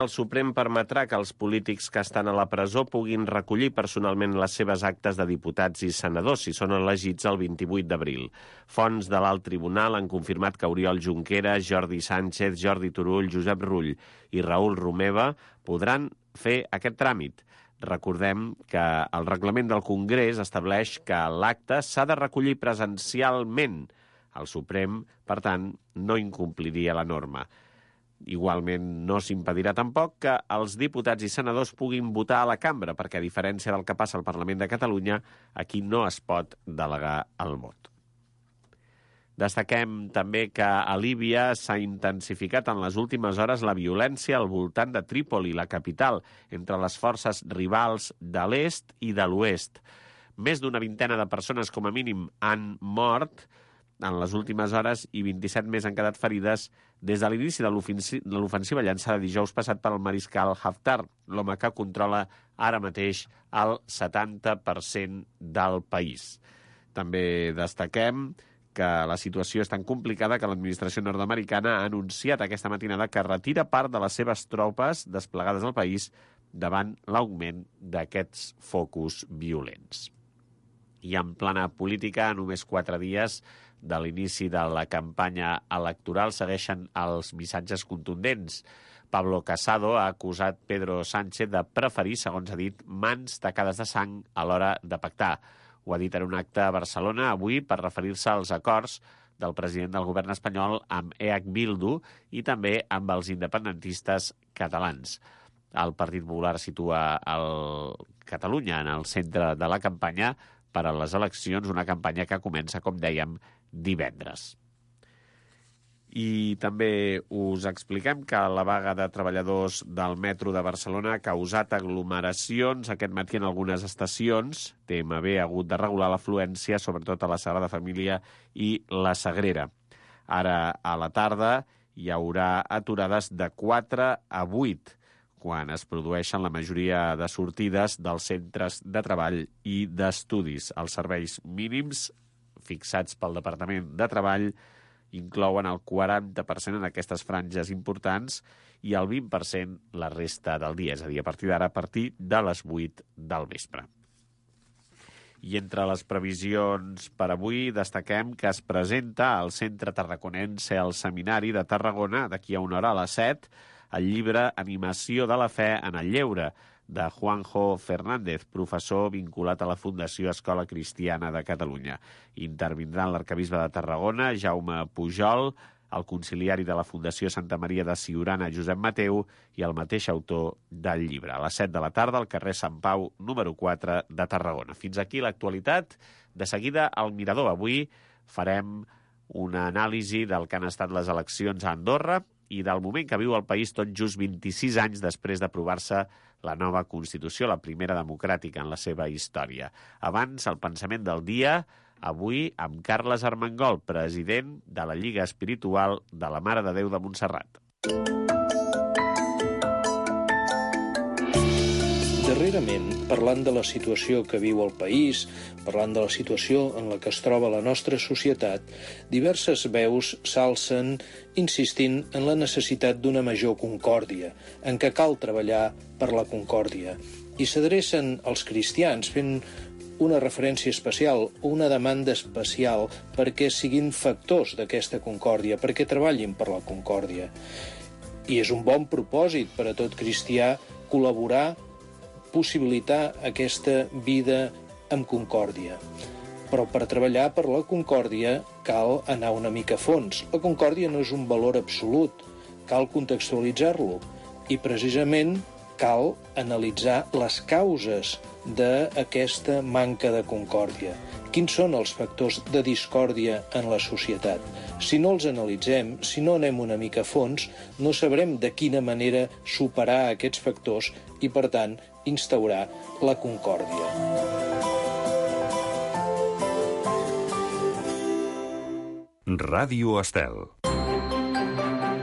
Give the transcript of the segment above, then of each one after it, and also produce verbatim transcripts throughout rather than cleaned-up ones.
El Suprem permetrà que els polítics que estan a la presó puguin recollir personalment les seves actes de diputats i senadors si són elegits el vint-i-vuit d'abril. Fonts de l'Alt Tribunal han confirmat que Oriol Junqueras, Jordi Sánchez, Jordi Turull, Josep Rull i Raül Romeva podran fer aquest tràmit. Recordem que el reglament del Congrés estableix que l'acte s'ha de recollir presencialment. El Suprem, per tant, no incompliria la norma. Igualment, no s'impedirà tampoc que els diputats i senadors puguin votar a la cambra, perquè, a diferència del que passa al Parlament de Catalunya, aquí no es pot delegar el vot. Destaquem també que a Líbia s'ha intensificat en les últimes hores la violència al voltant de Trípoli, la capital, entre les forces rivals de l'est i de l'oest. Més d'una vintena de persones, com a mínim, han mort en les últimes hores i vint-i-set més han quedat ferides des de l'inici de l'ofensiva llançada dijous passat pel mariscal Haftar, l'home que controla ara mateix el setanta per cent del país. També destaquem que la situació és tan complicada que l'administració nord-americana ha anunciat aquesta matinada que retira part de les seves tropes desplegades al país davant l'augment d'aquests focus violents. I en plana política, només quatre dies de l'inici de la campanya electoral segueixen els missatges contundents. Pablo Casado ha acusat Pedro Sánchez de preferir, segons ha dit, mans tacades de sang a l'hora de pactar. Ho ha dit en un acte a Barcelona avui per referir-se als acords del president del govern espanyol amb E H Bildu i també amb els independentistes catalans. El Partit Popular situa el Catalunya en el centre de la campanya per a les eleccions, una campanya que comença, com dèiem, divendres. I també us expliquem que la vaga de treballadors del metro de Barcelona ha causat aglomeracions aquest matí en algunes estacions. T M B ha hagut de regular l'afluència, sobretot a la Sagrada Família i la Sagrera. Ara, a la tarda, hi haurà aturades de quatre a vuit, quan es produeixen la majoria de sortides dels centres de treball i d'estudis. Els serveis mínims fixats pel Departament de Treball inclouen el quaranta per cent en aquestes franges importants i el vint per cent la resta del dia, és a dir, a partir d'ara, a partir de les vuit del vespre. I entre les previsions per avui destaquem que es presenta al Centre Tarraconense al Seminari de Tarragona, d'aquí a una hora a les set, el llibre Animació de la Fe en el Lleure, de Juanjo Fernández, professor vinculat a la Fundació Escola Cristiana de Catalunya. Intervindran l'arcabisbe de Tarragona, Jaume Pujol, el conciliari de la Fundació Santa Maria de Siurana, Josep Mateu, i el mateix autor del llibre. A les set de la tarda, al carrer Sant Pau, número quatre de Tarragona. Fins aquí l'actualitat. De seguida, al Mirador. Avui farem una anàlisi del que han estat les eleccions a Andorra i del moment que viu el país tot just vint-i-sis anys després d'aprovar-se la nova Constitució, la primera democràtica en la seva història. Abans, el pensament del dia, avui amb Carles Armengol, president de la Lliga Espiritual de la Mare de Déu de Montserrat. Darrerament, parlant de la situació que viu el país, parlant de la situació en la que es troba la nostra societat, diverses veus s'alcen insistint en la necessitat d'una major concòrdia, en què cal treballar per la concòrdia. I s'adrecen als cristians fent una referència especial o una demanda especial perquè siguin factors d'aquesta concòrdia, perquè treballin per la concòrdia. I és un bon propòsit per a tot cristià col·laborar, possibilitar aquesta vida amb concòrdia. Però per treballar per la concòrdia cal anar una mica a fons. La concòrdia no és un valor absolut, cal contextualitzar-lo i precisament cal analitzar les causes d'aquesta manca de concòrdia. Quins són els factors de discòrdia en la societat? Si no els analitzem, si no anem una mica a fons, no sabrem de quina manera superar aquests factors i, per tant, instaurar la concòrdia. Ràdio Estel.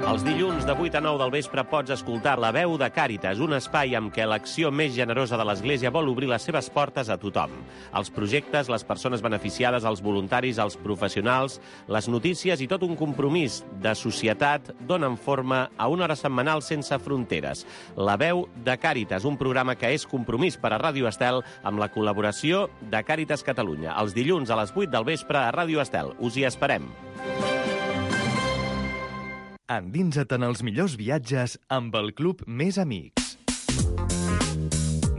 Els dilluns de vuit a nou del vespre pots escoltar La veu de Càritas, un espai amb què l'acció més generosa de l'Església vol obrir les seves portes a tothom. Els projectes, les persones beneficiades, els voluntaris, els professionals, les notícies i tot un compromís de societat donen forma a una hora setmanal sense fronteres. La veu de Càritas, un programa que és compromís per a Ràdio Estel amb la col·laboració de Càritas Catalunya. Els dilluns a les vuit del vespre a Ràdio Estel. Us hi esperem. Endinsa't en els millors viatges amb el Club Més Amics.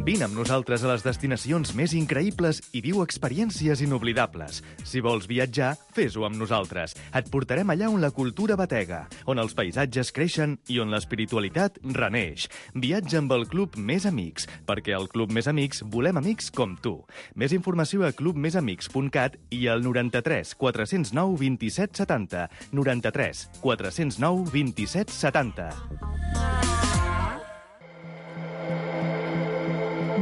Vine amb nosaltres a les destinacions més increïbles i viu experiències inoblidables. Si vols viatjar, fes-ho amb nosaltres. Et portarem allà on la cultura batega, on els paisatges creixen i on l'espiritualitat reneix. Viatja amb el Club Més Amics, perquè al Club Més Amics volem amics com tu. Més informació a club més amics punt cat i al noranta-tres quatre zero nou vint-i-set setanta. noranta-tres quatre zero nou vint-i-set setanta.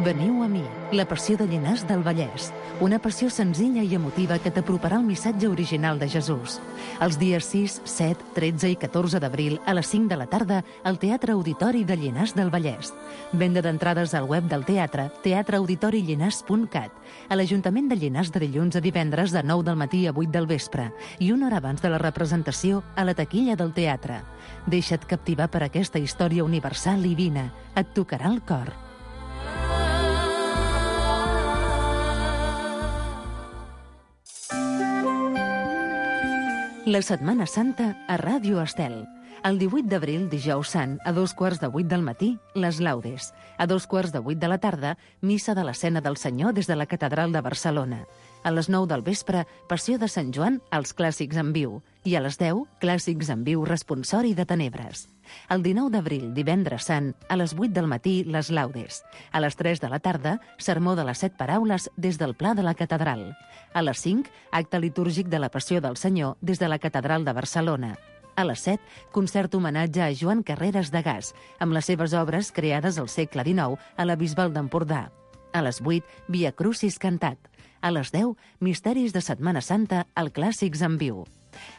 Veniu a mi, la passió de Llinars del Vallès. Una passió senzilla i emotiva que t'aproparà el missatge original de Jesús. Els dies sis, set, tretze i catorze d'abril a les cinc de la tarda al Teatre Auditori de Llinars del Vallès. Venda d'entrades al web del teatre, teatre auditori llinars punt cat. A l'Ajuntament de Llinars de dilluns a divendres de nou del matí a vuit del vespre i una hora abans de la representació a la taquilla del teatre. Deixa't captivar per aquesta història universal i vine. Et tocarà el cor. La Setmana Santa a Ràdio Estel. El divuit d'abril, dijous sant, a dos quarts de vuit del matí, les laudes. A dos quarts de vuit de la tarda, missa de l'Escena del Senyor des de la Catedral de Barcelona. A les nou del vespre, Passió de Sant Joan, els clàssics en viu. I a les deu, clàssics en viu responsori de Tenebres. El dinou d'abril, divendres sant, a les vuit del matí, les laudes. A les tres de la tarda, sermó de les set paraules des del Pla de la Catedral. A les cinc, acte litúrgic de la Passió del Senyor des de la Catedral de Barcelona. A les set, concert homenatge a Joan Carreras de Gas, amb les seves obres creades al segle dinou a la Bisbal d'Empordà. A les vuit, Via Crucis cantat. A les deu, Misteris de Setmana Santa, al Clàssics en viu.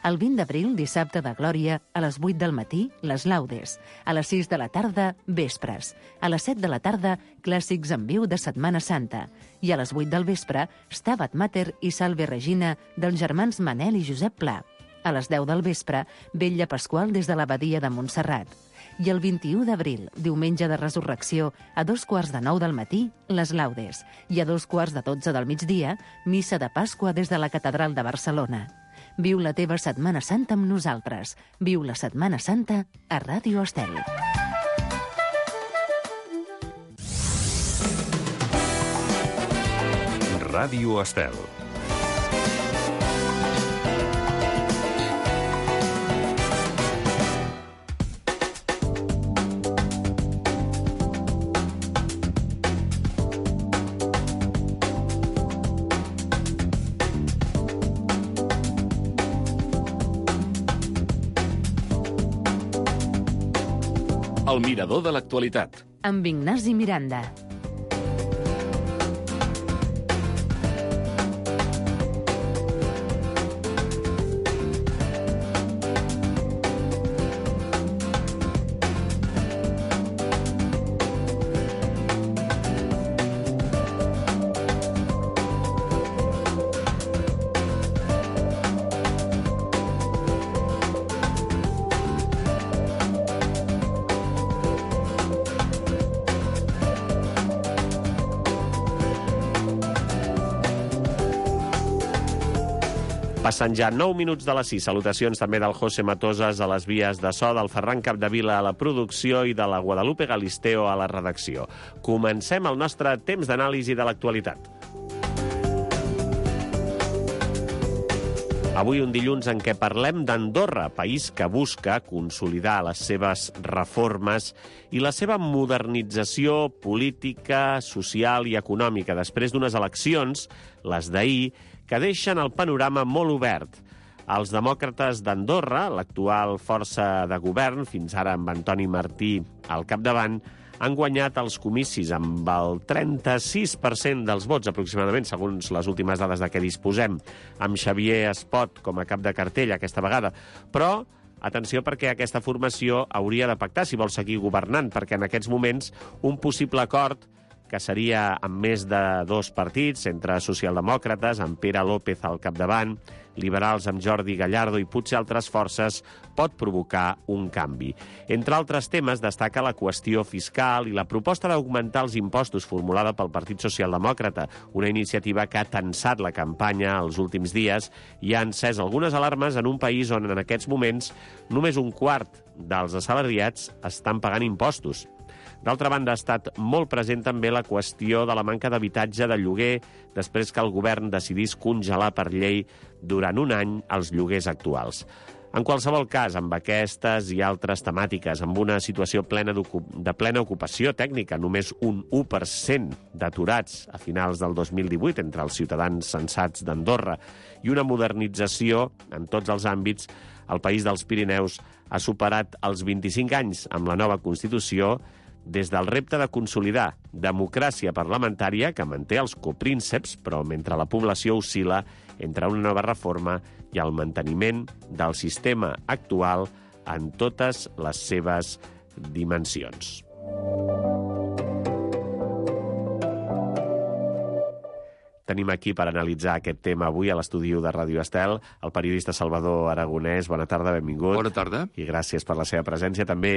El vint d'abril, dissabte de Glòria, a les vuit del matí, les laudes. A les sis de la tarda, vespres. A les set de la tarda, clàssics en viu de Setmana Santa. I a les vuit del vespre, Stabat Mater i Salve Regina dels germans Manel i Josep Pla. A les deu del vespre, Vetlla Pasqual des de l'Abadia de Montserrat. I el vint-i-u d'abril, diumenge de Resurrecció, a dos quarts de nou del matí, les laudes. I a dos quarts de dotze del migdia, missa de Pasqua des de la Catedral de Barcelona. Viu la teva Setmana Santa amb nosaltres. Viu la Setmana Santa a Ràdio Estel. Ràdio Estel. El mirador de l'actualitat. Amb Ignasi Miranda. Passen ja nou minuts de les sis. Salutacions també del José Matosas a les vies de so, del Ferran Capdevila a la producció i de la Guadalupe Galisteo a la redacció. Comencem el nostre temps d'anàlisi de l'actualitat. Avui un dilluns en què parlem d'Andorra, país que busca consolidar les seves reformes i la seva modernització política, social i econòmica després d'unes eleccions, les d'ahir, que deixen el panorama molt obert. Els demòcrates d'Andorra, l'actual força de govern, fins ara amb Antoni Martí al capdavant, han guanyat els comicis amb el trenta-sis per cent dels vots, aproximadament, segons les últimes dades de què disposem, amb Xavier Espot com a cap de cartell aquesta vegada. Però Atenció, perquè aquesta formació hauria de pactar si vol seguir governant, perquè en aquests moments un possible acord, que seria amb més de dos partits, entre socialdemòcrates, amb Pere López al capdavant, liberals amb Jordi Gallardo i potser altres forces, pot provocar un canvi. Entre altres temes, destaca la qüestió fiscal i la proposta d'augmentar els impostos formulada pel Partit Socialdemòcrata, una iniciativa que ha tensat la campanya els últims dies i ha encès algunes alarmes en un país on en aquests moments només un quart dels assalariats estan pagant impostos. D'altra banda, ha estat molt present també la qüestió de la manca d'habitatge de lloguer després que el govern decidís congelar per llei durant un any els lloguers actuals. En qualsevol cas, amb aquestes i altres temàtiques, amb una situació plena de plena ocupació tècnica, només un u per cent d'aturats a finals del dos mil divuit entre els ciutadans censats d'Andorra i una modernització en tots els àmbits, el país dels Pirineus ha superat els vint-i-cinc anys amb la nova Constitució des del repte de consolidar democràcia parlamentària que manté els coprínceps, però mentre la població oscil·la entre una nova reforma i el manteniment del sistema actual en totes les seves dimensions. Tenim aquí per analitzar aquest tema avui a l'estudi de Ràdio Estel el periodista Salvador Aragonès. Bona tarda, benvingut. Bona tarda. I gràcies per la seva presència. També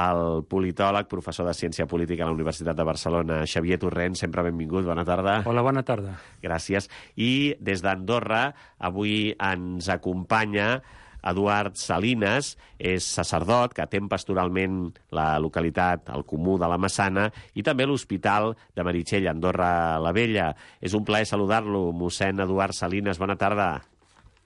el politòleg, professor de Ciència Política a la Universitat de Barcelona, Xavier Torrent. Sempre benvingut. Bona tarda. Hola, bona tarda. Gràcies. I des d'Andorra avui ens acompanya Eduard Salines, és sacerdot que atén pastoralment la localitat, el Comú de la Massana, i també l'Hospital de Meritxell, Andorra la Vella. És un plaer saludar-lo, mossèn Eduard Salines. Bona tarda.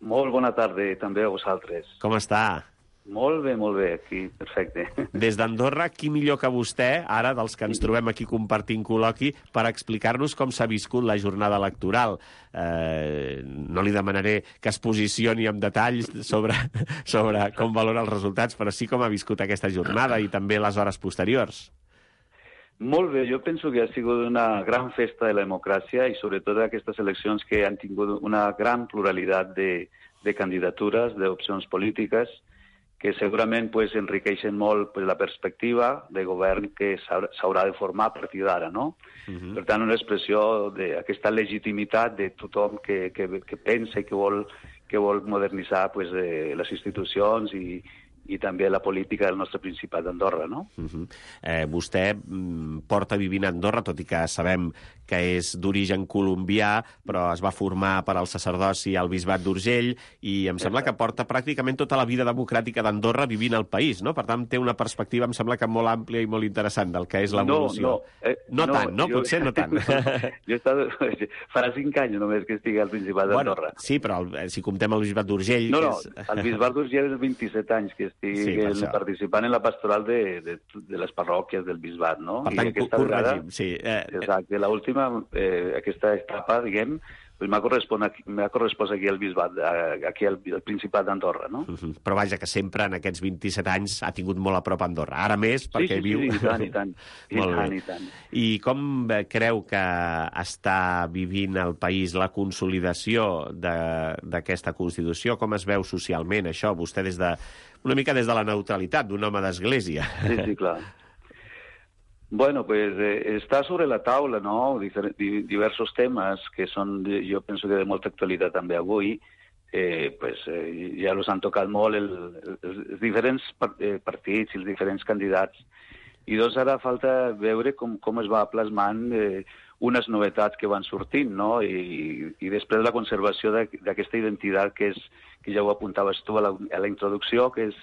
Molt bona tarda, també a vosaltres. Com està? Molt bé, molt bé, aquí, perfecte. Des d'Andorra, qui millor que vostè, ara, dels que ens trobem aquí compartint col·loqui, per explicar-nos com s'ha viscut la jornada electoral. Eh, no li demanaré que es posicioni amb detalls sobre, sobre com valora els resultats, però sí com ha viscut aquesta jornada i també les hores posteriors. Molt bé, jo penso que ha sigut una gran festa de la democràcia i sobretot aquestes eleccions que han tingut una gran pluralitat de, de candidatures, d'opcions polítiques, que segurament pues, enriqueixen molt pues, la perspectiva de govern que s'haurà de formar a partir d'ara, no? Uh-huh. Per tant, una expressió d'aquesta legitimitat de tothom que, que, que pensa i que vol, que vol modernitzar pues, eh, les institucions i, i també la política del nostre Principat d'Andorra, no? Uh-huh. eh, vostè mm, porta vivint a Andorra, tot i que sabem que és d'origen colombià, però es va formar per al sacerdoci al bisbat d'Urgell, i em sembla que porta pràcticament tota la vida democràtica d'Andorra vivint al país, no? Per tant, té una perspectiva, em sembla que molt àmplia i molt interessant del que és l'evolució. No, no, eh, no, no tant, no? Jo... Potser no tant. no, jo he estat... Farà cinc anys només que estigui al Principat d'Andorra. Bueno, sí, però el, si comptem el bisbat d'Urgell... No, que no, és... el bisbat d'Urgell és vint-i-set anys que estic sí, per participant en la pastoral de, de, de les parròquies del bisbat, no? Per tant, corregim, sí. Eh, exacte, l'última... Eh, aquesta etapa, diguem, pues m'ha correspost, correspost aquí al bisbat, aquí al, al Principat d'Andorra, no? Uh-huh. Però vaja, que sempre en aquests vint-i-set anys ha tingut molt a prop Andorra. Ara més, perquè sí, sí, viu... Sí, i tant, i tant. I molt tant, bé. I tant. I com creu que està vivint el país la consolidació d'aquesta Constitució? Com es veu socialment, això? Vostè des de... una mica des de la neutralitat d'un home d'església. Sí, sí, clar. Bueno, pues eh, està sobre la taula, ¿no? Difer diversos temes que són, jo penso que de molta actualitat també avui, eh, pues eh, ja els han tocat molt el, el, els diferents partits i els diferents candidats. I doncs ara falta veure com, com es va plasmant eh, unes novetats que van sortint, no? I, i després la conservació d'aquesta identitat que, és, que ja ho apuntaves tu a la, a la introducció, que és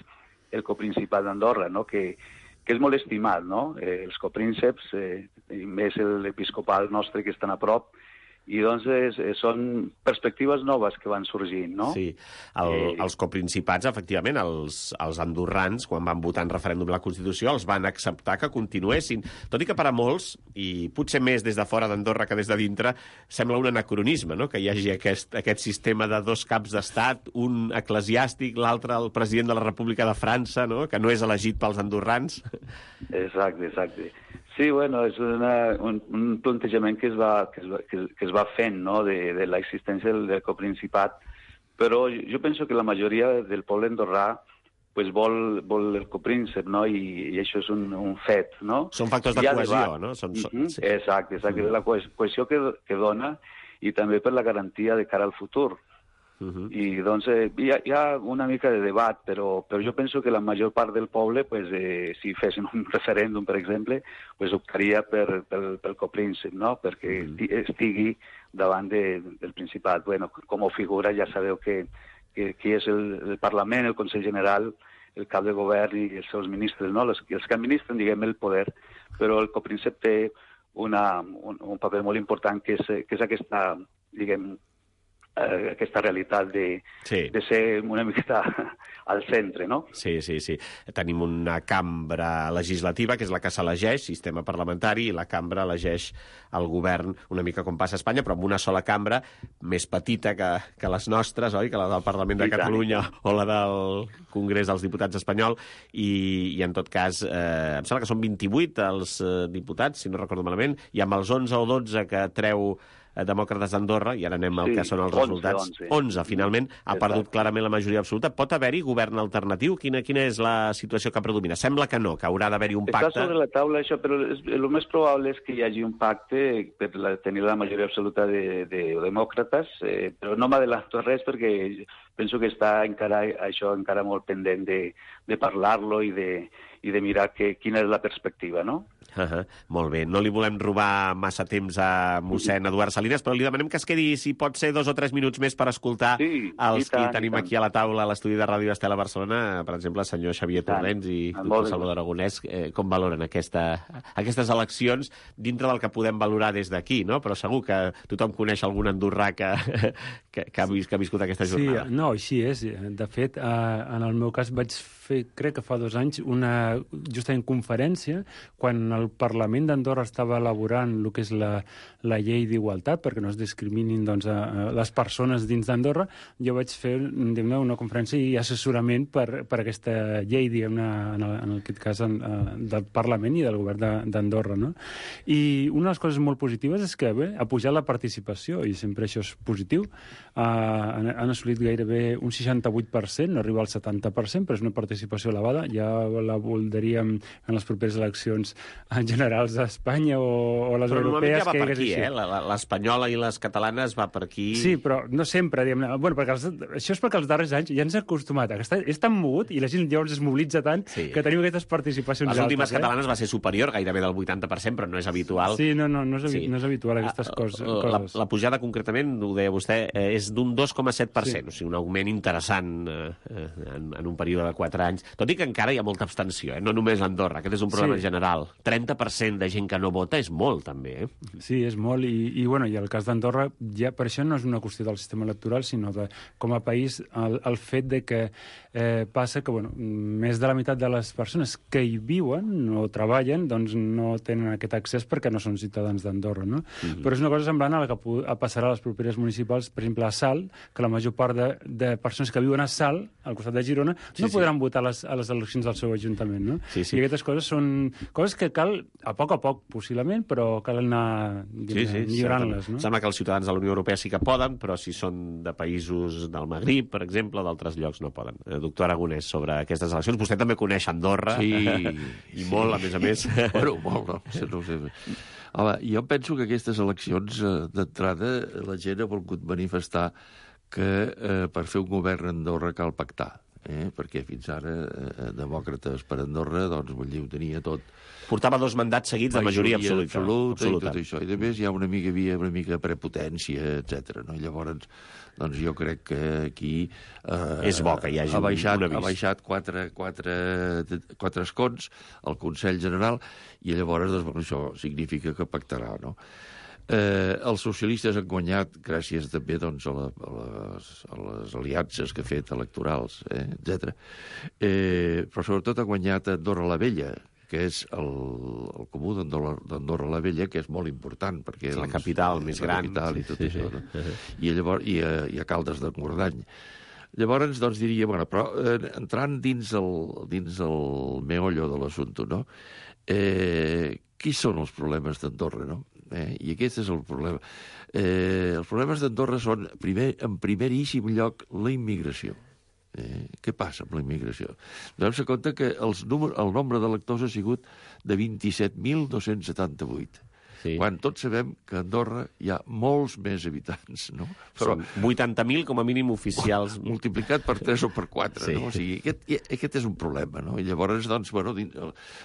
el coprincipat d'Andorra, no? Que que és molt estimat, no? Eh, els coprínceps, eh, i més l'episcopal nostre que estan a prop, i doncs és, són perspectives noves que van sorgint, no? Sí, el, eh... els coprincipats, efectivament, els, els andorrans, quan van votar en referèndum la Constitució, els van acceptar que continuessin. Tot i que per a molts, i potser més des de fora d'Andorra que des de dintre, sembla un anacronisme, no?, que hi hagi aquest, aquest sistema de dos caps d'estat, un eclesiàstic, l'altre el president de la República de França, no?, que no és elegit pels andorrans. Exacte, exacte. Sí, bueno, és una, un, un plantejament que es va, que es va, que, que es va fent, no?, de, de l'existència del, del coprincipat, però jo penso que la majoria del poble andorrà pues vol, vol el copríncep, no? I, i això és un, un fet, no? Són factors de cohesió, no? Són, uh -huh. sí. Exacte, exacte, mm. la cohesió que, que dona i també per la garantia de cara al futur. Uh -huh. I doncs eh, hi, ha, hi ha una mica de debat, però, però jo penso que la major part del poble, pues, eh, si fessin un referèndum, per exemple, pues, optaria per, per, pel copríncep, no? Perquè uh -huh. estigui davant de, del Principat. Bueno, com a figura ja sabeu que, que, que és el, el Parlament, el Consell General, el cap de govern i els seus ministres, no? Els, els que administren, diguem, el poder, però el copríncep té una, un, un paper molt important, que és, que és aquesta, diguem, eh, aquesta realitat de, sí. de ser una miqueta al centre, no? Sí, sí, sí. Tenim una cambra legislativa, que és la que s'elegeix, sistema parlamentari, i la cambra elegeix el govern, una mica com passa a Espanya, però amb una sola cambra, més petita que, que les nostres, oi? Que la del Parlament de Catalunya o la del Congrés dels Diputats espanyol, i, i en tot cas, eh, em sembla que són vint-i-vuit els eh, diputats, si no recordo malament, i amb els onze o dotze que treu Demòcrates d'Andorra, i ara anem al sí, que són els resultats. onze, onze finalment, ha perdut clarament la majoria absoluta. Pot haver-hi govern alternatiu? Quina, quina és la situació que predomina? Sembla que no, que haurà d'haver-hi un pacte. Està sobre la taula això, però és, el més probable és que hi hagi un pacte per la, tenir la majoria absoluta de, de demòcrates, eh, però no m'adelanto res perquè penso que està encara, això encara molt pendent de, de parlar-lo i de, i de mirar que, quina és la perspectiva, no? Uh -huh. Molt bé. No li volem robar massa temps a mossèn Eduard Salinas, però li demanem que es quedi, si pot ser, dos o tres minuts més per escoltar sí, els tant, que tenim aquí a la taula a l'estudi de Ràdio Estel a Barcelona, per exemple, el senyor Xavier Torrents i doctor Salvador Aragonès. Eh, com valoren aquesta, aquestes eleccions dintre del que podem valorar des d'aquí, no? Però segur que tothom coneix algun andorrà que, que, que, ha, vist, que ha viscut aquesta jornada. Sí, no, així és. De fet, eh, en el meu cas vaig fer, crec que fa dos anys, una justament conferència quan el Parlament d'Andorra estava elaborant el que és la, la llei d'igualtat, perquè no es discriminin doncs, a, a les persones dins d'Andorra. Jo vaig fer una conferència i assessorament per, per aquesta llei, diguem-ne, en, en aquest cas, en, en, del Parlament i del govern d'Andorra. No? I una de les coses molt positives és que bé, ha pujat la participació, i sempre això és positiu. Uh, han, han assolit gairebé un seixanta-vuit per cent, no arriba al setanta per cent, però és una participació elevada. Ja la voldríem en les properes eleccions generals d'Espanya o, o les però europees. Ja va que per aquí, eh? L'espanyola i les catalanes va per aquí. Sí, però no sempre, diguem-ne. Bueno, perquè els, això és perquè els darrers anys ja ens hem acostumat a que està, és tan mogut i la gent llavors es mobilitza tant sí. que tenim aquestes participacions les últimes altes, catalanes eh? va ser superior, gairebé del vuitanta per cent, però no és habitual. Sí, no, no, no és, sí. no és habitual aquestes coses. La, la pujada, concretament, ho deia vostè, és d'un dos coma set per cent, sí. O sigui, un augment interessant eh, en, en un període de quatre anys, tot i que encara hi ha molta abstenció, eh? No només a Andorra, aquest és un problema sí. general. trenta per cent de gent que no vota és molt, també. Eh? Sí, és molt, i, i, bueno, i el cas d'Andorra, ja per això no és una qüestió del sistema electoral, sinó de, com a país, el, el fet de que eh, passa que, bueno, més de la meitat de les persones que hi viuen o treballen, doncs no tenen aquest accés perquè no són ciutadans d'Andorra, no? Mm-hmm. Però és una cosa semblant a la que passarà a les properes municipals, per exemple, a Salt, que la major part de, de persones que viuen a Salt, al costat de Girona, sí, no sí. podran votar a les, a les eleccions del seu ajuntament, no? Sí, sí. I aquestes coses són coses que cal, a poc a poc, possiblement, però cal anar sí, sí, millorant-les, no? Sembla que els ciutadans de la Unió Europea sí que poden, però si són de països del Magrib, per exemple, o d'altres llocs, no poden. Eh, doctor Aragonès, sobre aquestes eleccions, vostè també coneix Andorra, sí, i molt, a més a més. Bueno, molt, no, no sé. Home, jo penso que aquestes eleccions, eh, d'entrada, la gent ha volgut manifestar que eh, per fer un govern a Andorra cal pactar. Eh? Perquè fins ara eh, demòcrates per Andorra, doncs, vull dir, ho tenia tot. Portava dos mandats seguits de majoria, majoria absoluta. absoluta. absoluta. I tot això. I a més hi ha una mica, havia una mica prepotència, etcètera. No? Llavors, doncs jo crec que aquí eh, és bo que hi hagi ha baixat, un avís. Ha baixat quatre, quatre, quatre escons al Consell General i llavors doncs, això significa que pactarà, no? Eh, els socialistes han guanyat gràcies també doncs, a, la, a, les, a les aliances que ha fet electorals, eh, etcètera. Eh, però sobretot ha guanyat Andorra la Vella, que és el, el comú d'Andorra la Vella, que és molt important, perquè és la doncs, capital més la gran. Capital i tot sí, això, sí. No? I, llavors, i, a, i a Caldes de Ngordany. Llavors, doncs, diria, bueno, però eh, entrant dins el, dins el meollo de l'assumpte, no? Eh, qui són els problemes d'Andorra, no? Eh, I aquest és el problema. Eh, els problemes d'Andorra són, primer, en primeríssim lloc, la immigració. Eh, què passa amb la immigració? Donem-se compte que els número, el nombre d'electors ha sigut de vint-i-set mil dos-cents setanta-vuit. Sí. Quan tots sabem que a Andorra hi ha molts més habitants, no? Però són vuitanta mil com a mínim oficials. Multiplicat per tres o per quatre, sí. No? O sigui, aquest, aquest és un problema, no? I llavors, doncs, bueno... Dins,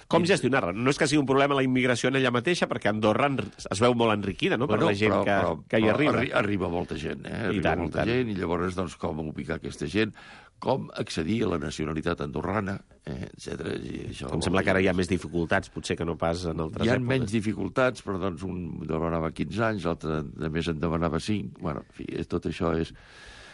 com gestionar-la? No és que sigui un problema la immigració en ella mateixa, perquè Andorra es veu molt enriquida, no?, per bueno, la gent però, que, però, que hi arriba. Arri arriba molta gent, eh? Arriba I tant, molta tant. gent, i llavors, doncs, com ubicar aquesta gent, com accedir a la nacionalitat andorrana, eh, etcètera. I això, em sembla que ara hi ha més dificultats, potser que no pas en altres hi ha èpoques. Menys dificultats, però doncs un demanava quinze anys, l'altre de més en demanava cinc. Bueno, en fi, tot això és...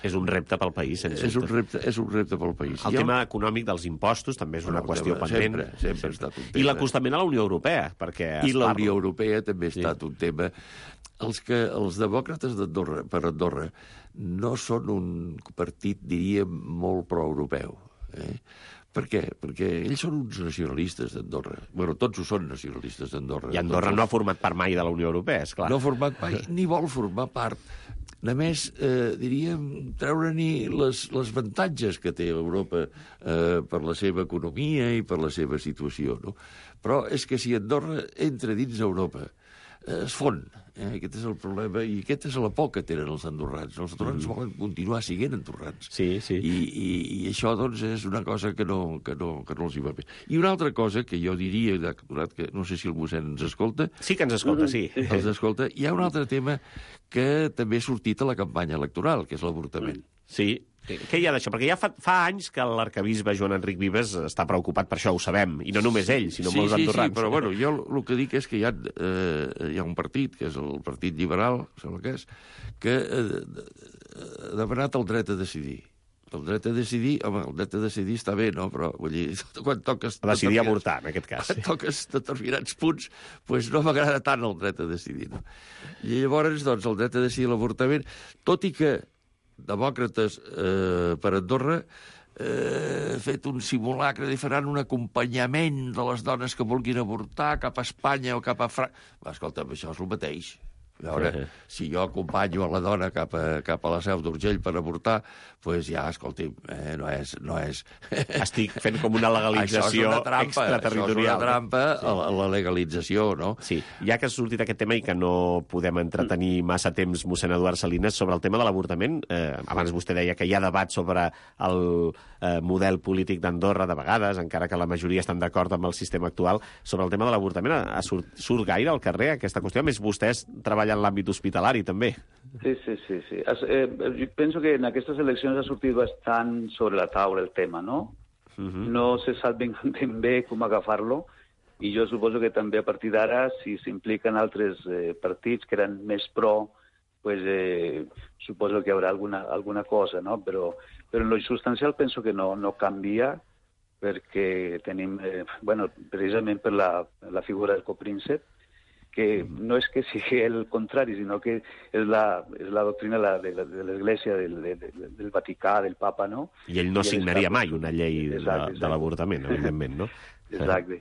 És un repte pel país, sens dubte. És un repte, és un repte pel país. El tema econòmic dels impostos també és una bueno, qüestió tema, pendent. Sempre, sempre ha estat un tema. I l'acostament a la Unió Europea, perquè... I la Unió Europea també ha estat sí. un tema. Els, que, els demòcrates d'Andorra, per Andorra, no són un partit, diríem, molt pro-europeu. Eh? Per què? Perquè ells són uns nacionalistes d'Andorra. Bueno, tots ho són nacionalistes d'Andorra. I Andorra no ha format part mai de la Unió Europea, esclar. No ha format mai, ni vol formar part. Només, eh, diríem, treure-n'hi les, les avantatges que té Europa eh, per la seva economia i per la seva situació, no? Però és que si Andorra entra dins Europa, eh, es fon. Eh? Aquest és el problema i aquesta és la por que tenen els andorrans. Els andorrans mm. volen continuar siguent andorrans. Sí, sí. I, i, i això, doncs, és una cosa que no, que, no, que no els hi va bé. I una altra cosa que jo diria, que no sé si el mossèn ens escolta... Sí que ens escolta, sí. Els escolta. Hi ha un altre tema que també ha sortit a la campanya electoral, que és l'avortament. Sí. Què hi ha d'això? Perquè ja fa, fa anys que l'arcabisbe Joan Enric Vives està preocupat per això, ho sabem. I no només ell, sinó sí, molts sí, andorrans. Sí, però bueno, jo el que dic és que hi ha, eh, hi ha un partit, que és el Partit Liberal, sembla que és, que eh, ha demanat el dret a decidir. El dret a decidir, home, el dret a decidir està bé, no? Però, vull dir, quan toques... A decidir avortar, en aquest cas. Quan sí. toques determinats punts, doncs no m'agrada tant el dret a decidir, no? I llavors, doncs, el dret a decidir l'avortament, tot i que demòcrates eh, per Andorra eh, fet un simulacre de faran un acompanyament de les dones que vulguin avortar cap a Espanya o cap a França. Escolta, això és el mateix. A veure, si jo acompanyo a la dona cap a, cap a la Seu d'Urgell per avortar, doncs pues ja, escolti, eh, no és... No és... Estic fent com una legalització extraterritorial. Això és una trampa sí. a, la, a la legalització, no? Sí, ja que ha sortit aquest tema i que no podem entretenir massa temps mossèn Eduard Salines sobre el tema de l'avortament, eh, abans vostè deia que hi ha debat sobre el eh, model polític d'Andorra de vegades, encara que la majoria estan d'acord amb el sistema actual, sobre el tema de l'avortament, surt, surt gaire al carrer aquesta qüestió? A més, vostès treballen en l'àmbit hospitalari, també. Sí, sí, sí. sí. Eh, jo penso que en aquestes eleccions ha sortit bastant sobre la taula el tema, no? Uh -huh. No se sap ben, ben bé com agafar-lo, i jo suposo que també a partir d'ara, si s'impliquen altres eh, partits que eren més pro, pues, eh, suposo que hi haurà alguna, alguna cosa, no? Però, però en lo substancial penso que no, no canvia, perquè tenim, eh, bueno, precisament per la, la figura del copríncep, que no és que sigui el contrari, sinó que és la, és la doctrina de, de l'Església, del, de, del Vaticà, del Papa, no? I ell no I signaria mai una llei exacte, de, exacte. de l'avortament, evidentment, no? Exacte.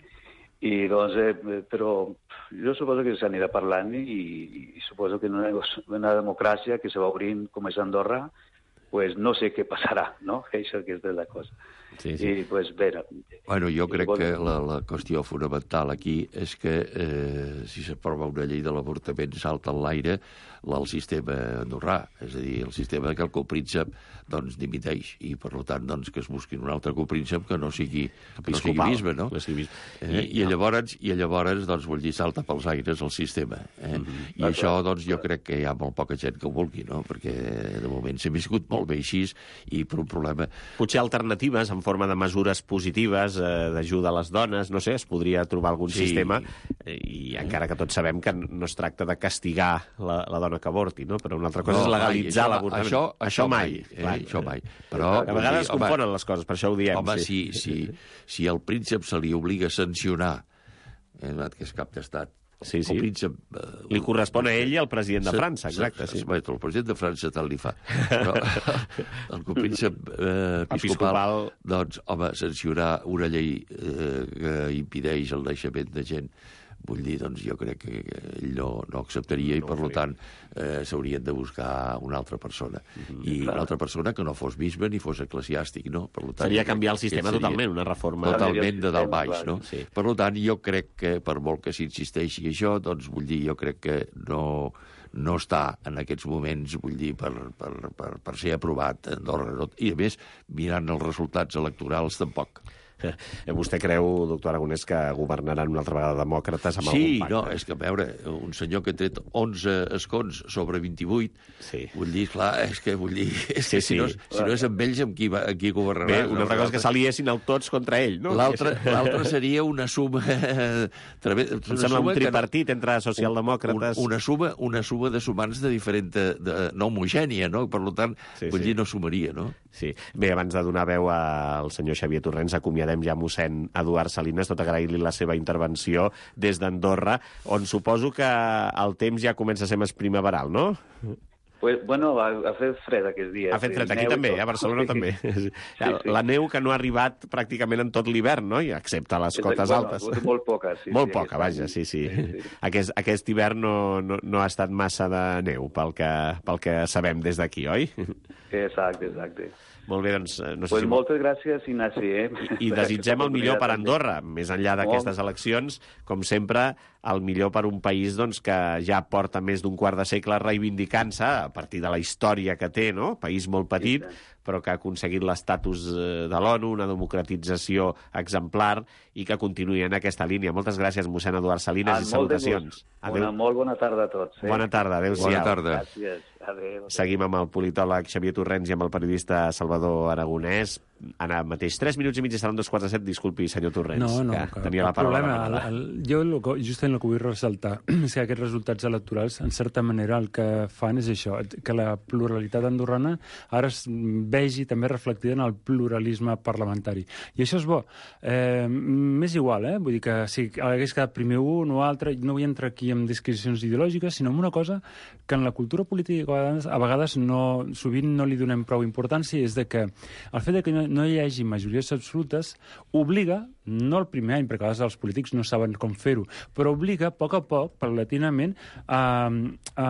I doncs, eh, però jo suposo que s'anirà parlant i, i suposo que en una, una democràcia que se va obrint com és Andorra, pues no sé què passarà, no? Això que és de la cosa. Sí, sí. I, pues, bé... Bueno, jo crec que la, la qüestió fonamental aquí és que eh, si s'aprova una llei de l'avortament salta en l'aire el sistema andorrà, és a dir, el sistema que el copríncep doncs dimiteix i, per tant, doncs, que es busquin un altre copríncep que no sigui, que no sigui bisbe, no? Sigui... Eh? I, llavors, I llavors, doncs, vull dir, salta pels aires el sistema. Eh? Mm -hmm. I això, doncs, jo crec que hi ha molt poca gent que ho vulgui, no? Perquè, de moment, s'ha viscut molt bé així i per un problema... Potser alternatives en forma de mesures positives, eh, d'ajuda a les dones, no sé, es podria trobar algun sí. sistema, eh, i encara que tots sabem que no es tracta de castigar la, la dona que avorti, no? Però una altra cosa no, és legalitzar l'avortament. Això, això, això mai, eh? Clar, això mai. Però, a vegades es confonen les coses, per això ho diem. Home, sí. si, si, si el príncep se li obliga a sancionar, eh, que és cap d'estat, Sí, sí. Príncep, uh, li correspon a ell i al president de França, exacte. Sí. El president de França tant li fa. Però el copríncep eh, episcopal, episcopal, doncs, home, sancionar una llei eh, que impedeix el naixement de gent vull dir, doncs jo crec que ell no, no acceptaria i, per tant, eh, s'haurien de buscar una altra persona. Mm-hmm. I una altra persona que no fos bisbe ni fos eclesiàstic, no? Per tant, seria canviar el sistema seria totalment, una reforma. Totalment de dalt baix, no? Sí. Per tant, jo crec que, per molt que s'insisteixi això, doncs, vull dir, jo crec que no... no està en aquests moments, vull dir, per, per, per, per ser aprovat a Andorra. I, a més, mirant els resultats electorals, tampoc. Vostè creu, doctor Aragonès, que governaran una altra vegada demòcrates amb sí, algun pacte? Sí, no, és que, a veure, un senyor que ha tret onze escons sobre vint-i-vuit, sí. vull dir, clar, és que, vull dir, és que sí, si, no, sí. si no és amb ells, amb qui, va, amb qui governarà? Bé, una altra cosa és que s'aliessin el tots contra ell, no? L'altra seria una suma... Una em sembla un tripartit no, entre socialdemòcrates... Un, una, suma, una suma de sumants de diferent... De, de, no homogènia, no? Per tant, sí, vull sí. dir, no sumaria, no? Sí. Bé, abans de donar veu al senyor Xavier Torrents, acomiadem ja mossèn Eduard Salines, tot agrair-li la seva intervenció des d'Andorra, on suposo que el temps ja comença a ser més primaveral, no? Pues, bueno, ha, ha fet fred aquests dies. Ha fet fred aquí també, a Barcelona també. Sí, sí. La neu que no ha arribat pràcticament en tot l'hivern, no? Excepte a les cotes bueno, altes. Molt poca, sí. Molt sí, poca, vaja, sí, sí. sí, sí. Aquest, aquest hivern no, no, no ha estat massa de neu, pel que, pel que sabem des d'aquí, oi? Exacte, exacte. Molt bé, doncs... No sé pues si... moltes gràcies, Ignasi. Eh? I desitgem el millor per Andorra, més enllà d'aquestes eleccions, com sempre, el millor per un país doncs, que ja porta més d'un quart de segle reivindicant-se, a partir de la història que té, no? País molt petit, sí, però que ha aconseguit l'estatus de l'ONU, una democratització exemplar, i que continuï en aquesta línia. Moltes gràcies, mossèn Eduard Salines, ah, i salutacions. Una molt bona tarda a tots. Eh? Bona tarda, adéu-siau. Bona tarda. Gràcies. Adéu. Seguim amb el politòleg Xavier Torrents i amb el periodista Salvador Aragonès. Ara mateix, tres minuts i mig i seran dos quarts de set. Disculpi, senyor Torrents, no, no, que, que tenia la paraula. Problema, el, el, jo el, justament el que vull ressaltar és que aquests resultats electorals, en certa manera, el que fan és això, que la pluralitat andorrana ara es vegi també reflectida en el pluralisme parlamentari. I això és bo. Eh, M'és igual, eh? Vull dir que si hagués quedat primer un o altre, no vull entrar aquí en disquisicions ideològiques, sinó en una cosa que en la cultura política a vegades, a vegades no, sovint no li donem prou importància, és de que el fet de que no, no hi hagi majories absolutes obliga, no el primer any, perquè a vegades els polítics no saben com fer-ho, però obliga a poc a poc, paulatinament, a, a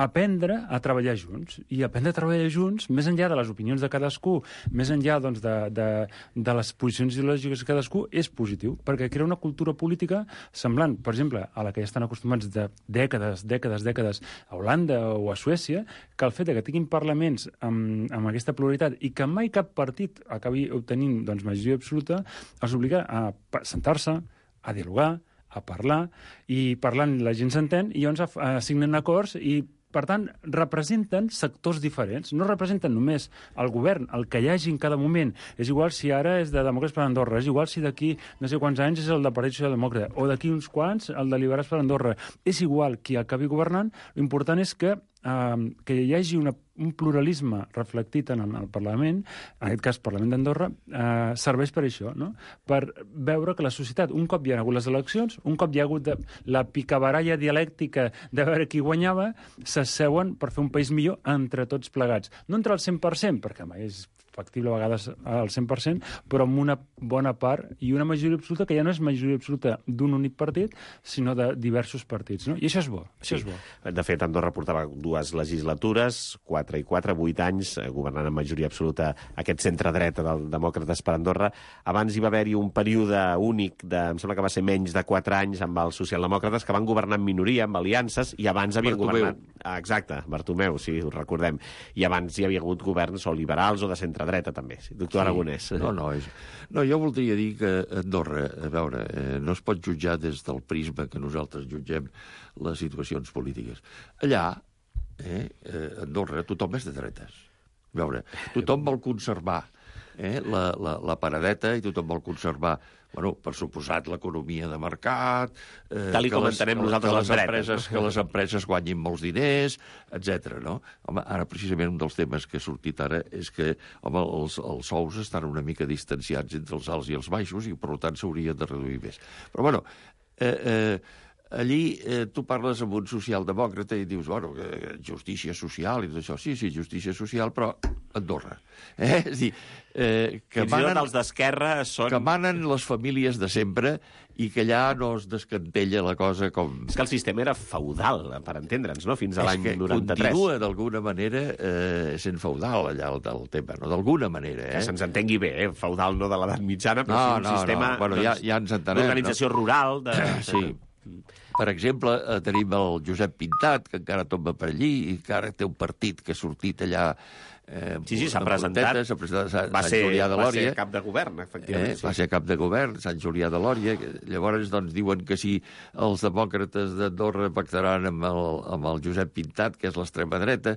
aprendre a treballar junts. I aprendre a treballar junts, més enllà de les opinions de cadascú, més enllà doncs, de, de, de les posicions ideològiques de cadascú, és positiu, perquè crea una cultura política semblant, per exemple, a la que ja estan acostumats de dècades, dècades, dècades a Holanda o a Suècia, que el fet de que tinguin parlaments amb, amb aquesta pluralitat i que mai cap partit acabi obtenint doncs, majoria absoluta, els obliga a sentar-se, a dialogar, a parlar, i parlant la gent s'entén, i llavors assignen acords i, per tant, representen sectors diferents. No representen només el govern, el que hi hagi en cada moment. És igual si ara és de Demòcrates per Andorra, és igual si d'aquí no sé quants anys és el de Partit Socialdemòcrata, o d'aquí uns quants el de Liberals per Andorra. És igual qui acabi governant, l'important és que Uh, que hi hagi una, un pluralisme reflectit en el Parlament, en aquest cas Parlament d'Andorra, uh, serveix per això, no? Per veure que la societat, un cop hi ha hagut les eleccions, un cop hi ha hagut de, la picabaralla dialèctica de veure qui guanyava, s'asseuen per fer un país millor entre tots plegats. No entre el cent per cent, perquè mai és factible a vegades al cent per cent, però amb una bona part i una majoria absoluta que ja no és majoria absoluta d'un únic partit, sinó de diversos partits, no? I això és bo. Això sí. és bo. De fet, Andorra portava dues legislatures, quatre i quatre, vuit anys, governant amb majoria absoluta aquest centre-dreta del Demòcrates per Andorra. Abans hi va haver-hi un període únic, de, em sembla que va ser menys de quatre anys, amb els socialdemòcrates, que van governar en minoria, amb aliances, i abans havien Bartomeu. governat... Ah, exacte, Bartomeu, sí, ho recordem. I abans hi havia hagut governs o liberals o de centre-dreta, també. Sí, doctor sí. Aragonès. No, no, és... no, jo voldria dir que Andorra, a veure, eh, no es pot jutjar des del prisma que nosaltres jutgem les situacions polítiques. Allà, eh, Andorra, tothom és de dretes. A veure, tothom vol conservar eh, la, la, la paradeta i tothom vol conservar, bueno, per suposat, l'economia de mercat, eh, tal i com entenem nosaltres les empreses, que les empreses guanyin molts diners, etcètera. No? Home, ara precisament un dels temes que ha sortit ara és que home, els, els sous estan una mica distanciats entre els alts i els baixos i per tant s'haurien de reduir més. Però bueno, eh, eh, allí eh, tu parles amb un socialdemòcrata i dius, bueno, eh, justícia social i tot això. Sí, sí, justícia social, però Andorra. Eh? És dir, eh, que, Fins i manen, tot els d'esquerra són... que manen les famílies de sempre i que allà no es descantella la cosa com... És que el sistema era feudal, per entendre'ns, no? Fins a l'any noranta-tres. Continua, d'alguna manera, eh, sent feudal, allà, el, el tema, no? D'alguna manera, eh? Que se'ns entengui bé, eh? Feudal no de l'edat mitjana, però no, sí un no, sistema no. Bueno, doncs, ja, ja ens entenem, d'organització no? rural. De... Sí. Per exemple, eh, tenim el Josep Pintat, que encara tomba per allí, i encara té un partit que ha sortit allà... Eh, sí, sí, s'ha presentat. S'ha presentat a Sant, va ser, Sant Julià de Lòria. Va ser cap de govern, efectivament. Eh, sí. Va ser cap de govern, Sant Julià de Lòria. Llavors, doncs, diuen que si els demòcrates d'Andorra pactaran amb el, amb el Josep Pintat, que és l'extrema dreta,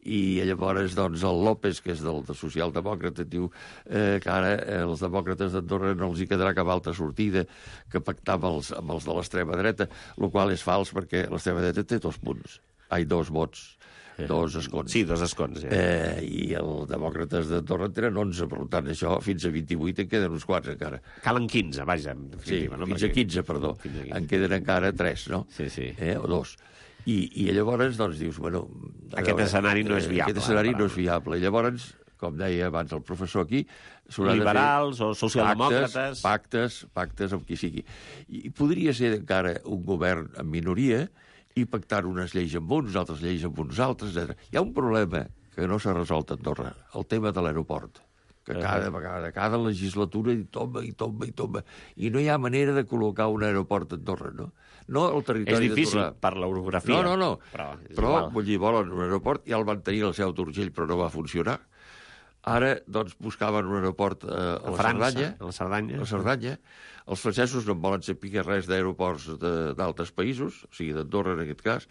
i llavors, doncs, el López, que és del, del socialdemòcrata, diu eh, que ara eh, els demòcrates d'Andorra no els hi quedarà cap altra sortida que pactar amb els, amb els de l'extrema dreta, el qual és fals perquè l'extrema dreta té dos punts. Ai, dos vots. Dos escons. Sí, dos escons. Ja. Eh, I els demòcrates d'Andorra en tenen onze, per tant, això fins a vint-i-vuit en queden uns quants encara. Calen quinze, vaja. Sí, no? fins a quinze, perdó. A quinze. En queden encara tres, no? Sí, sí. Eh, o dos. I, I llavors, doncs, dius, bueno... Aquest veure, escenari no és viable. Aquest escenari no és viable. I llavors, com deia abans el professor aquí... Liberals o socialdemòcrates... Pactes, pactes, pactes amb qui sigui. I podria ser encara un govern en minoria i pactar unes lleis amb uns, altres lleis amb uns altres, etcètera. Hi ha un problema que no s'ha resolt a Andorra, el tema de l'aeroport, que cada vegada, cada legislatura hi tomba, i tomba, i tomba. I no hi ha manera de col·locar un aeroport a Andorra, no? No al territori és difícil d'Andorra. Per l'orografia. No, no, no. Però, però vull dir, volen un aeroport, ja el van tenir al Seu d'Urgell, però no va funcionar. Ara, doncs, buscaven un aeroport eh, a, a la França, Cerdanya. A la Cerdanya. A la Cerdanya. Els francesos no en volen saber res d'aeroports d'altres països, o sigui, d'Andorra en aquest cas.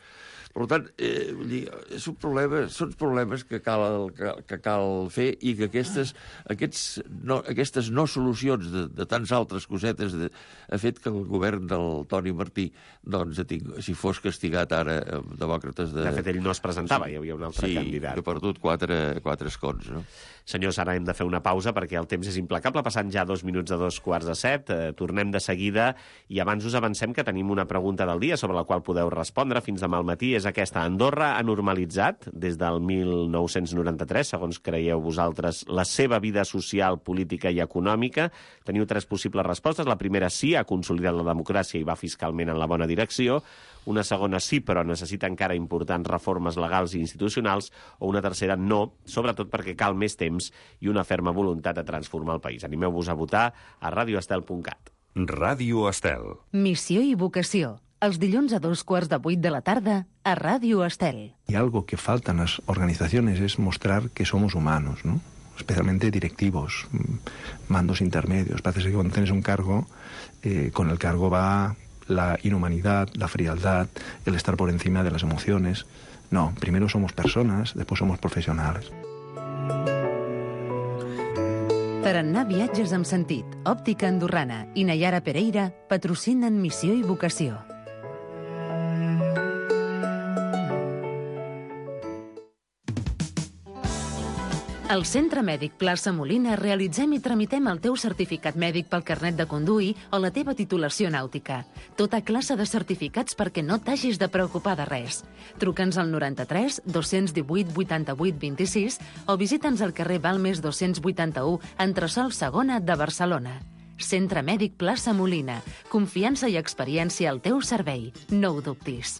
Per tant, eh, vull dir, és un problema, són problemes que cal, que, que cal fer i que aquestes, aquests no, aquestes no solucions de, de tants altres cosetes de, ha fet que el govern del Toni Martí, doncs, ting, si fos castigat ara amb demòcrates de... De fet, ell no es presentava, hi havia un altre sí, candidat. Sí, ha perdut quatre, quatre escons, no? Senyors, ara hem de fer una pausa perquè el temps és implacable, passant ja dos minuts a dos quarts de set. Eh, tornem de seguida i abans us avancem que tenim una pregunta del dia sobre la qual podeu respondre fins demà al matí. És aquesta. Andorra ha normalitzat des del mil nou-cents noranta-tres, segons creieu vosaltres, la seva vida social, política i econòmica. Teniu tres possibles respostes. La primera, sí, ha consolidat la democràcia i va fiscalment en la bona direcció. Una segona, sí, però necessita encara importants reformes legals i institucionals. O una tercera, no, sobretot perquè cal més temps i una ferma voluntat de transformar el país. Animeu-vos a votar a radio estel punt cat. Ràdio Estel. Missió i vocació. Els dilluns a dos quarts de vuit de la tarda a Ràdio Estel. Y algo que falta en las organizaciones es mostrar que somos humanos, ¿no? Especialmente directivos, mandos intermedios. Parece que cuando tienes un cargo, eh, con el cargo va la inhumanidad, la frialdad, el estar por encima de las emociones. No, primero somos personas, después somos profesionales. Tarannà Viatges amb sentit, Òptica Andorrana i Nayara Pereira patrocinen Missió i Vocació. Al Centre Mèdic Plaça Molina realitzem i tramitem el teu certificat mèdic pel carnet de conduir o la teva titulació nàutica. Tota classe de certificats perquè no t'hagis de preocupar de res. Truca'ns al noranta-tres dos-cents divuit vuitanta-vuit vint-i-sis o visita'ns al carrer Balmes dos-cents vuitanta-u, entresòl segona de Barcelona. Centre Mèdic Plaça Molina. Confiança i experiència al teu servei. No ho dubtis.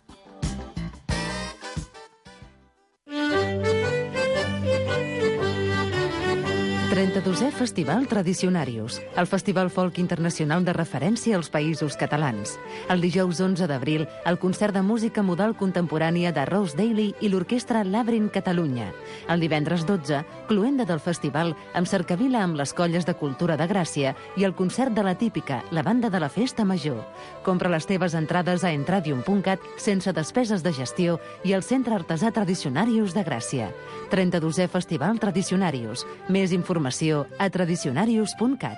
trenta-dosè Festival Tradicionarius, el festival folk internacional de referència als països catalans. El dijous onze d'abril, el concert de música modal contemporània de Rose Daly i l'orquestra Labyrinth Catalunya. El divendres dotze, cloenda del festival amb cercavila amb les colles de cultura de Gràcia i el concert de la típica, la banda de la Festa Major. Compra les teves entrades a entradium punt cat sense despeses de gestió i al Centre Artesà Tradicionarius de Gràcia. trenta-dosè Festival Tradicionarius. Més informació a tradicionarius punt cat.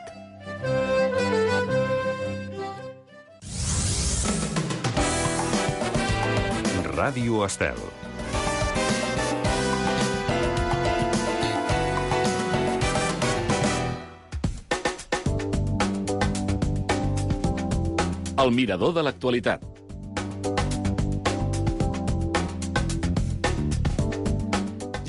Ràdio Estel. El mirador de l'actualitat.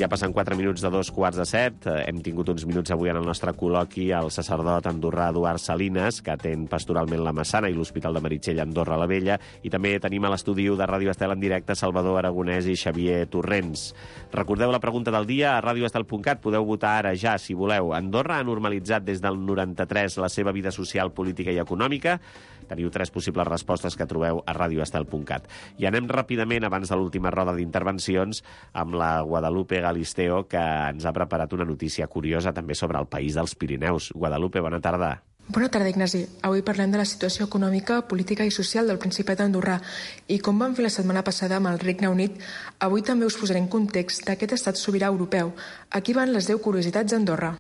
Ja passen quatre minuts de dos quarts de set. Hem tingut uns minuts avui en el nostre col·loqui el sacerdot andorrà Eduard Salinas, que atén pastoralment la Massana i l'Hospital de Meritxell Andorra la Vella, i també tenim a l'estudi de Ràdio Estel en directe Salvador Aragonès i Xavier Torrents. Recordeu la pregunta del dia a radioestel punt cat. Podeu votar ara ja, si voleu. Andorra ha normalitzat des del noranta-tres la seva vida social, política i econòmica? Teniu tres possibles respostes que trobeu a radioestel punt cat. I anem ràpidament, abans de l'última roda d'intervencions, amb la Guadalupe Galisteo, que ens ha preparat una notícia curiosa també sobre el país dels Pirineus. Guadalupe, bona tarda. Bona tarda, Ignasi. Avui parlem de la situació econòmica, política i social del Principat d'Andorrà. I com vam fer la setmana passada amb el Regne Unit, avui també us posaré en context d'aquest estat sobirà europeu. Aquí van les deu curiositats d'Andorra.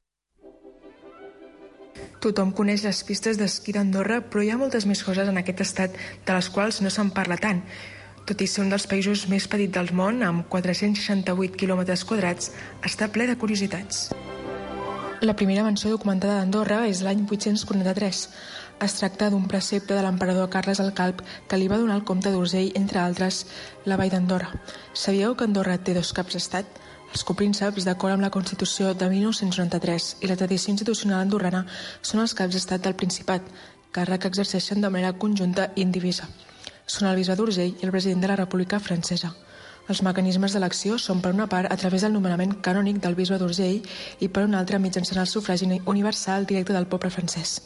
Tothom coneix les pistes d'esquí d'Andorra, però hi ha moltes més coses en aquest estat de les quals no se'n parla tant. Tot i ser un dels països més petits del món, amb quatre-cents seixanta-vuit quilòmetres quadrats, està ple de curiositats. La primera menció documentada d'Andorra és l'any vuit-cents quaranta-tres. Es tracta d'un precepte de l'emperador Carles el Calb que li va donar el comte d'Urgell, entre altres, la vall d'Andorra. Sabíeu que Andorra té dos caps d'estat? Els coprínceps, d'acord amb la Constitució de mil nou-cents noranta-tres i la tradició institucional andorrana, són els caps d'estat del Principat, càrrec que exerceixen de manera conjunta i indivisa. Són el bisbe d'Urgell i el president de la República Francesa. Els mecanismes d'elecció són, per una part, a través del nomenament canònic del bisbe d'Urgell i, per una altra, mitjançant el sufragi universal directe del poble francès.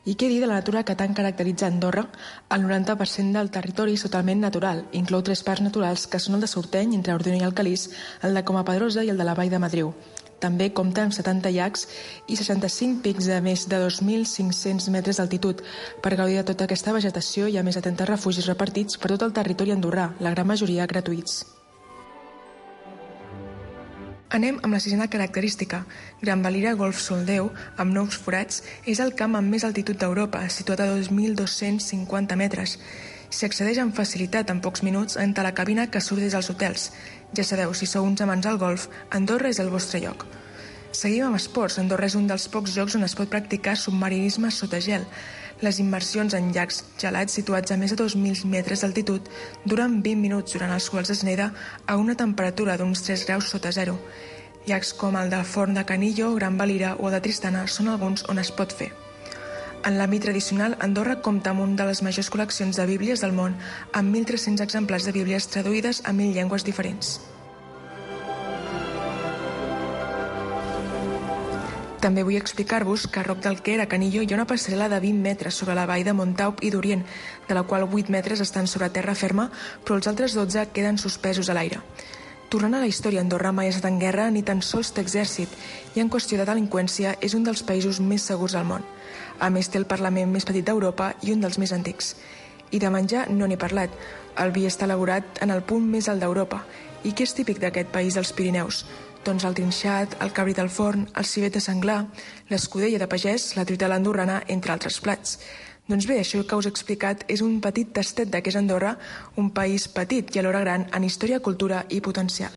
I què dir de la natura que tant caracteritza Andorra? El noranta per cent del territori és totalment natural. Inclou tres parcs naturals, que són el de Sorteny, entre Ordino i Alcalís, el de Coma Pedrosa i el de la Vall de Madriu. També compta amb setanta llacs i seixanta-cinc pics de més de dos mil cinc-cents metres d'altitud. Per gaudir de tota aquesta vegetació hi ha més de trenta refugis repartits per tot el territori andorrà, la gran majoria gratuïts. Anem amb la sisena característica. Gran Valira Golf Soldeu, amb nous forats, és el camp amb més altitud d'Europa, situat a dos mil dos-cents cinquanta metres. S'hi accedeix amb facilitat en pocs minuts entre la cabina que surt des dels hotels. Ja sabeu, si sou uns amants al golf, Andorra és el vostre lloc. Seguim amb esports. Andorra és un dels pocs llocs on es pot practicar submarinisme sota gel. Les immersions en llacs gelats situats a més de dos mil metres d'altitud duren vint minuts, durant els quals es neda a una temperatura d'uns tres graus sota zero. Llacs com el de Forn de Canillo, Gran Valira o el de Tristana són alguns on es pot fer. En l'àmbit tradicional, Andorra compta amb una de les majors col·leccions de bíblies del món, amb mil tres-cents exemplars de bíblies traduïdes a mil llengües diferents. També vull explicar-vos que a Roc del Quer, a Canillo, hi ha una passarel·la de vint metres sobre la vall de Montaup i d'Orient, de la qual vuit metres estan sobre terra ferma, però els altres dotze queden suspesos a l'aire. Tornant a la història, Andorra mai ha estat en guerra ni tan sols té exèrcit, i en qüestió de delinqüència és un dels països més segurs del món. A més, té el Parlament més petit d'Europa i un dels més antics. I de menjar no n'he parlat. El vi està elaborat en el punt més alt d'Europa. I què és típic d'aquest país dels Pirineus? Doncs el trinxat, el cabrit al forn, el civet de senglar, l'escudella de pagès, la truita a l'andorrana, entre altres plats. Doncs bé, això que us he explicat és un petit tastet de què és Andorra, un país petit i alhora gran en història, cultura i potencial.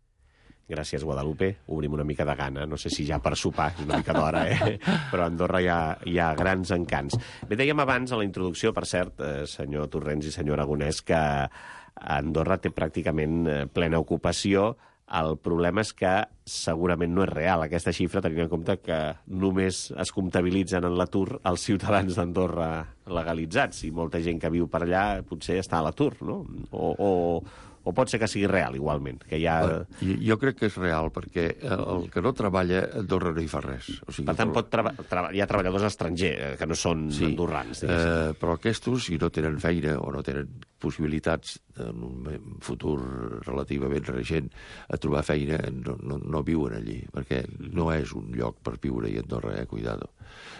Gràcies, Guadalupe. Obrim una mica de gana. No sé si ja per sopar, una mica d'hora, eh? Però a Andorra hi ha, hi ha grans encants. Bé, dèiem abans, a la introducció, per cert, eh, senyor Torrents i senyor Aragonès, que Andorra té pràcticament plena ocupació. El problema és que segurament no és real aquesta xifra, tenint en compte que només es comptabilitzen en l'atur els ciutadans d'Andorra legalitzats, i molta gent que viu per allà potser està a l'atur, no? O, o, o pot ser que sigui real, igualment, que hi ha... Jo crec que és real, perquè el que no treballa a Andorra no hi fa res. O sigui, per tant, pot treba... Treba... hi ha treballadors estrangers, que no són sí, andorrans. Eh, però aquests, si no tenen feina o no tenen possibilitats en un futur relativament recent a trobar feina, no, no, no viuen allí, perquè no és un lloc per viure-hi a Andorra, eh, cuidado.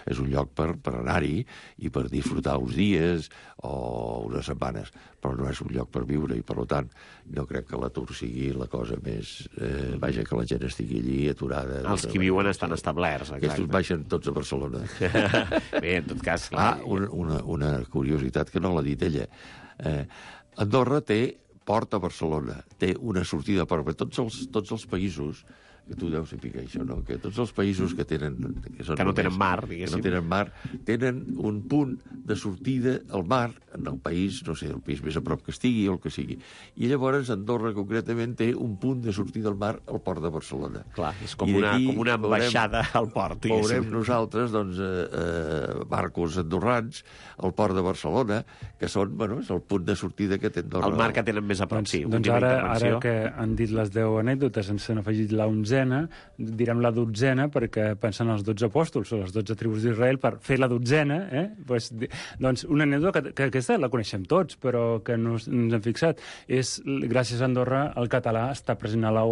És un lloc per, per anar-hi i per disfrutar uns dies o unes setmanes, però no és un lloc per viure, i per tant no crec que l'atur sigui la cosa més... Eh, vaja, que la gent estigui allí aturada. Els que viuen estan establerts. Aquests baixen tots a Barcelona. Bé, en tot cas... Ah, una, una, una curiositat que no l'ha dit ella. Eh, Andorra té port a Barcelona, té una sortida per tots els, tots els països, que tu deus saber això, no? Que tots els països que tenen... Que, són que no només, tenen mar, diguéssim. Que no tenen mar, tenen un punt de sortida al mar en el país, no sé, el país més a prop que estigui o el que sigui. I llavors Andorra concretament té un punt de sortida al mar al port de Barcelona. Clar, és com, una, com una ambaixada veurem, al port. Veurem nosaltres, doncs, eh, eh, barcos andorrans al port de Barcelona, que són, bueno, és el punt de sortida que té Andorra. El mar que tenen més a prop, sí. Doncs ara, ara que han dit les deu anècdotes, ens han afegit la onzena, direm la dotzena, perquè pensen els dotze apòstols o les dotze tribus d'Israel per fer la dotzena, eh? Pues, doncs una anècdota que, que aquesta la coneixem tots, però que no ens hem fixat. És, gràcies a Andorra, el català està present a la